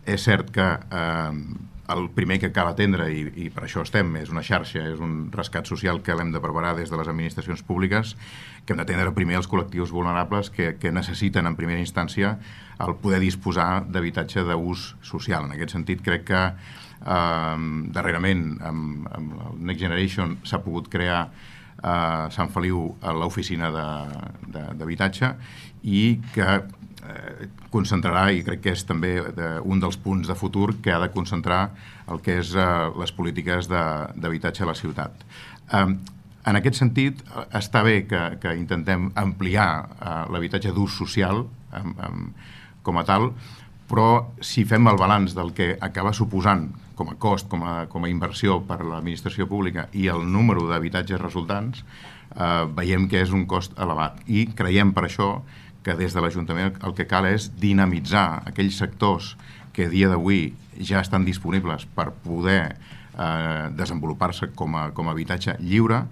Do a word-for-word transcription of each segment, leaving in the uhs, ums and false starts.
és cert que eh, el primer que cal atendre, i, i per això estem, és una xarxa, és un rescat social que l'hem de preparar des de les administracions públiques, que hem d'atendre primer els col·lectius vulnerables que, que necessiten en primera instància el poder disposar d'habitatge d'ús social. En aquest sentit, crec que eh, darrerament amb, amb el Next Generation s'ha pogut crear a Sant Feliu a l'oficina d'habitatge i que eh, concentrarà, i crec que és també de, un dels punts de futur que ha de concentrar el que és eh, les polítiques d'habitatge a la ciutat. Eh, en aquest sentit, està bé que, que intentem ampliar eh, l'habitatge d'ús social eh, eh, com a tal, però si fem el balanç del que acaba suposant com a cost, com a, com a inversió per a l'administració pública i el número d'habitatges resultants, eh, veiem que és un cost elevat. I creiem per això que des de l'Ajuntament el que cal és dinamitzar aquells sectors que a dia d'avui ja estan disponibles per poder eh, desenvolupar-se com a, com a habitatge lliure,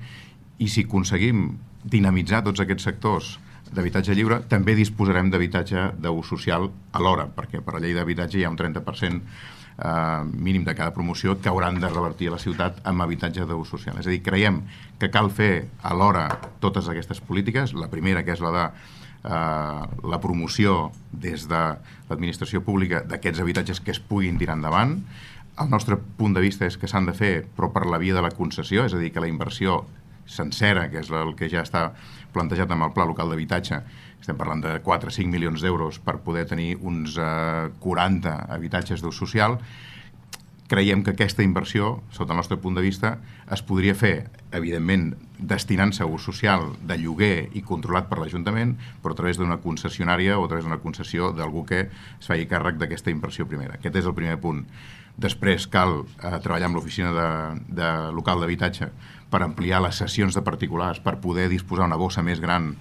i si aconseguim dinamitzar tots aquests sectors d'habitatge lliure, també disposarem d'habitatge d'ús social alhora, perquè per la llei d'habitatge hi ha un trenta per cent eh, mínim de cada promoció que hauran de revertir a la ciutat amb habitatge d'ús social. És a dir, creiem que cal fer alhora totes aquestes polítiques. La primera, que és la de eh, la promoció des de l'administració pública d'aquests habitatges que es puguin tirar endavant. El nostre punt de vista és que s'han de fer, però per la via de la concessió, és a dir, que la inversió sencera, que és el que ja està plantejat amb el Pla Local d'Habitatge, estem parlant de quatre a cinc milions d'euros per poder tenir uns eh, quaranta habitatges d'ús social. Creiem que aquesta inversió, sota el nostre punt de vista, es podria fer, evidentment, destinant-se a ús social de lloguer i controlat per l'Ajuntament, però a través d'una concessionària o a través d'una concessió d'algú que es faci càrrec d'aquesta inversió primera. Aquest és el primer punt. Després cal eh, treballar amb l'oficina de, de local d'habitatge per ampliar les sessions de particulars, per poder disposar una bossa més gran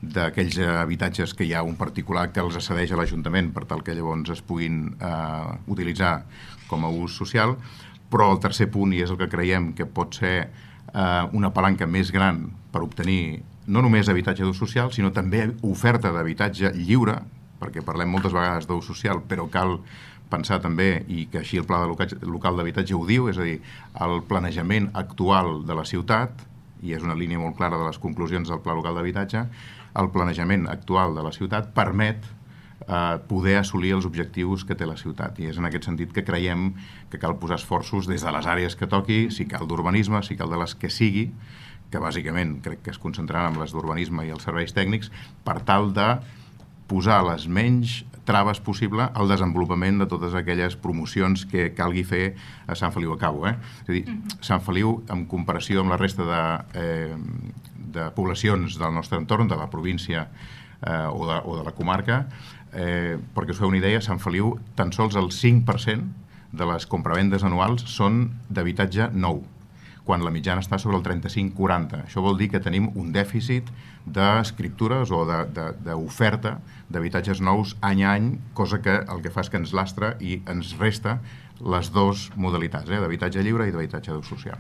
d'aquells habitatges que hi ha un particular que els accedeix a l'Ajuntament per tal que llavors es puguin eh, utilitzar com a ús social. Però el tercer punt, i és el que creiem que pot ser eh, una palanca més gran per obtenir no només habitatge d'ús social, sinó també oferta d'habitatge lliure, perquè parlem moltes vegades d'ús social, però cal pensar també, i que així el Pla Local d'Habitatge ho diu, és a dir, el planejament actual de la ciutat, i és una línia molt clara de les conclusions del Pla Local d'Habitatge, el planejament actual de la ciutat permet eh, poder assolir els objectius que té la ciutat. I és en aquest sentit que creiem que cal posar esforços des de les àrees que toqui, si cal d'urbanisme, si cal de les que sigui, que bàsicament crec que es concentraran en les d'urbanisme i els serveis tècnics, per tal de posar les menys traves possible al desenvolupament de totes aquelles promocions que calgui fer a Sant Feliu. Acabo, eh? És a dir, Sant Feliu, en comparació amb la resta de, eh, de poblacions del nostre entorn, de la província eh, o, de, o de la comarca, eh, perquè us feu una idea, Sant Feliu, tan sols el cinc per cent de les compravendes anuals són d'habitatge nou, quan la mitjana està sobre el trenta-cinc quaranta. Això vol dir que tenim un dèficit d'escriptures o d'oferta d'habitatges nous any a any, cosa que el que fa és que ens lastra i ens resta les dues modalitats, eh, d'habitatge lliure i d'habitatge d'ús social.